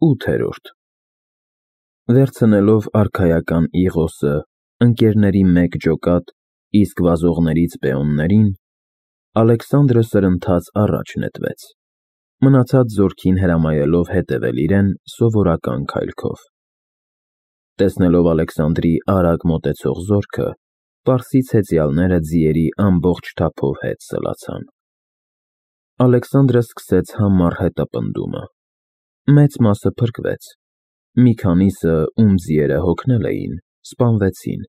8-րդ Վերցնելով արքայական Իղոսը, ընկերների մեկ ջոկատ, իսկ վազողներից պեոններին, Ալեքսանդրը սրընթաց առաջ նետվեց, մնացած զորքին հրամայելով հետևել իրեն սովորական քայլքով։ Տեսնելով Ալեքսանդրի արագ մոտեցող զորքը, պարսից հեծյալները ձիերի ամբողջ թափով հետ սլացան։ Ալեքսանդրը սկսեց համառ հետապնդումը։ Մեծ մասը փրկվեց, մի քանիսը, ում ձիերը հոգնել էին, սպանվեցին,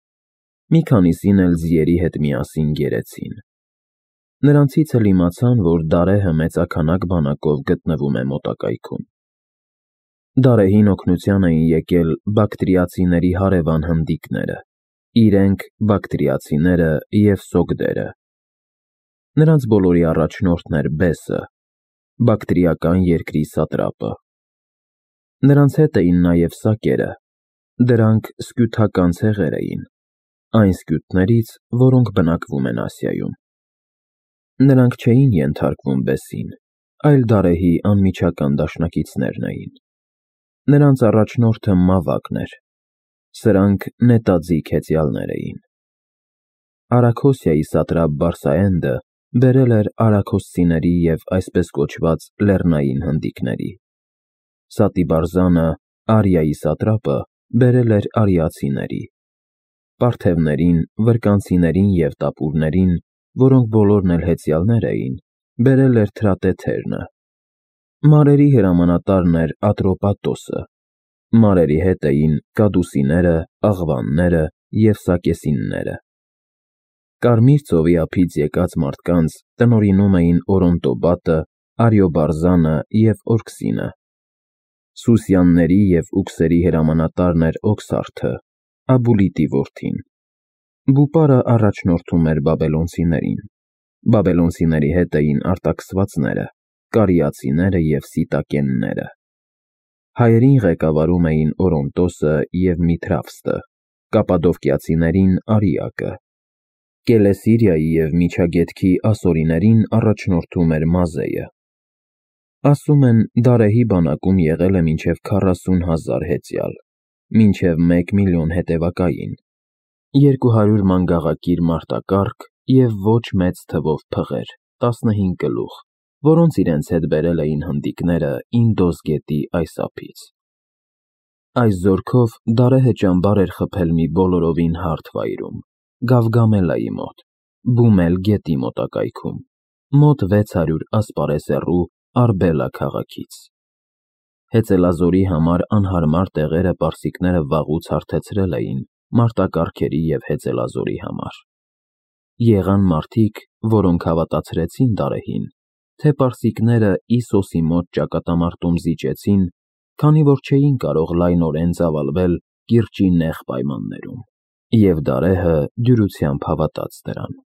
մի քանիսին էլ ձիերի հետ միասին գերեցին։ Նրանցից էլ իմացան, որ Դարեհը մեծաքանակ բանակով գտնվում է մոտակայքում։ Դարեհին օգնության էին եկել բակտրիացիների հարևան հնդիկները, իրենք բակտրիացիները և սոգդերը։ Նրանց բոլորի առաջնորդն էր Բեսը, բակտրիական երկրի սատրապը։ Նրանց հետ էին նաև սակերը, դրանք սկյութական ցեղեր էին, այն սկյութներից, որոնք բնակվում են Ասիայում։ Նրանք չէին ենթարկվում Բեսին, այլ Դարեհի անմիջական դաշնակիցներն էին։ Նրանց առաջնորդը Մավակն էր, սրանք նետաձիգ հեծյալներ էին։ Արաքոսիայի սատրապ Բարսաենդը բերել էր արաքոսցիների և այսպես կոչված լեռնային հնդիկների։ Սատիբարզանը, Արիայի սատրապը, բերել էր արիացիների։ Պարթևներին, վրկանցիներին և տապուրներին, որոնք բոլորն էլ հեծյալներ էին, բերել էր Թրատեթերնը։ Մարերի հրամանատարն էր Ատրոպատոսը։ Մարերի հետ էին կադուսիները, աղվանները և սակեսինները։ Կարմիր ծովի ափից եկած մարդկանց տնօրինում էին Օրոնտոբատը, Արիոբարզանը և Օրքսինը։ Սուսյանների և ուքսերի հրամանատարն էր Օքսարդը, Աբուլիտի որդին։ Բուպարը առաջնորդում էր բաբելոնցիներին։ Բաբելոնցիների հետ էին արտաքսվածները, կարիացիները և սիտակենները։ Հայերին ղեկավարում էին Օրոնտոսը և Միթրավստը, կապադովկիացիներին Արիակը։ Կելեսիրիայի և Միջագետքի ասորիներին առաջնորդում էր Մազեը։ Ասում են, Դարեհի բանակում եղել է մինչև 40,000 հեծյալ, մինչև 1 միլիոն հետևակային, 200 մանգաղակիր մարտակառք և ոչ մեծ թվով փղեր, 15 գլուխ, որոնց իրենց հետ բերել էին հնդիկները Ինդոս գետի այս ափից։ Այս զորքով Դարեհը ճամբար էր խփել մի բոլորովին հարթ վայրում, Գավգամելայի մոտ, Բումել գետի մոտակայքում, մոտ 600 ասպարես հեռու Արբելա քաղաքից։ Հեծելազորի համար անհարմար տեղերը պարսիկները վաղուց հարթեցրել էին մարտակառքերի և հեծելազորի համար։ Եղան մարդիկ, որոնք հավատացրեցին Դարեհին, թե պարսիկները Իսոսի մոտ ճակատամարտում զիջեցին, քանի որ չէին կարող լայնորեն ծավալվել կիրճի նեղ պայմաններում, և Դարեհը դյուրությամբ հավատաց դրան։